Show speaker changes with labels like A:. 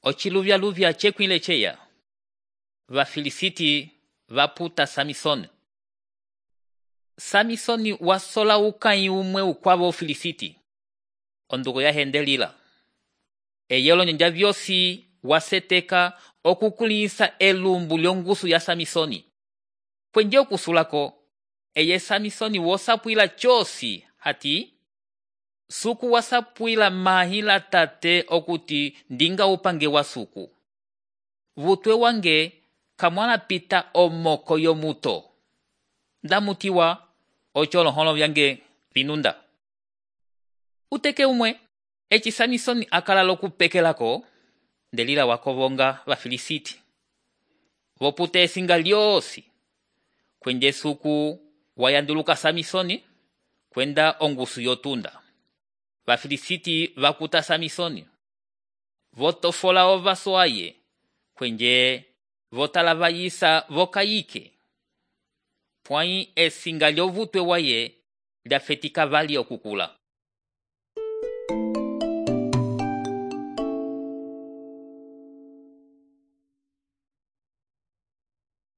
A: Ociluvyaluvya cekwile ceya. Vafilisiti vaputa Samisoni. Samisoni wasola ukanyi umwe ukwavo Filisiti. Ondugo yahendelila. Eyelo nyanja vyosi waseteka okukulisa elumbu lyongusu ya Samisoni. Kwenje okusulako, eye Samisoni wosapuila chosi hati suku wasapuila mahila tate okuti ndinga upange wa suku. Vutwe wange kamwana pita omoko yomuto. Ndamutiwa ocholoholo vyange vinunda. Uteke umwe, eci Samisoni akala lokupekelako, Delila wakovonga Vafilisiti. Vopute esinga lyosi. Kwenje suku wayanduluka Samisoni, kwenda ongusu yotunda. Vafilisiti vakuta Samisoni. Votofola ovaso aye, kwenje votalavayisa vokayike. Pwai esinga lyovutwe waye lyafetika vali okukula.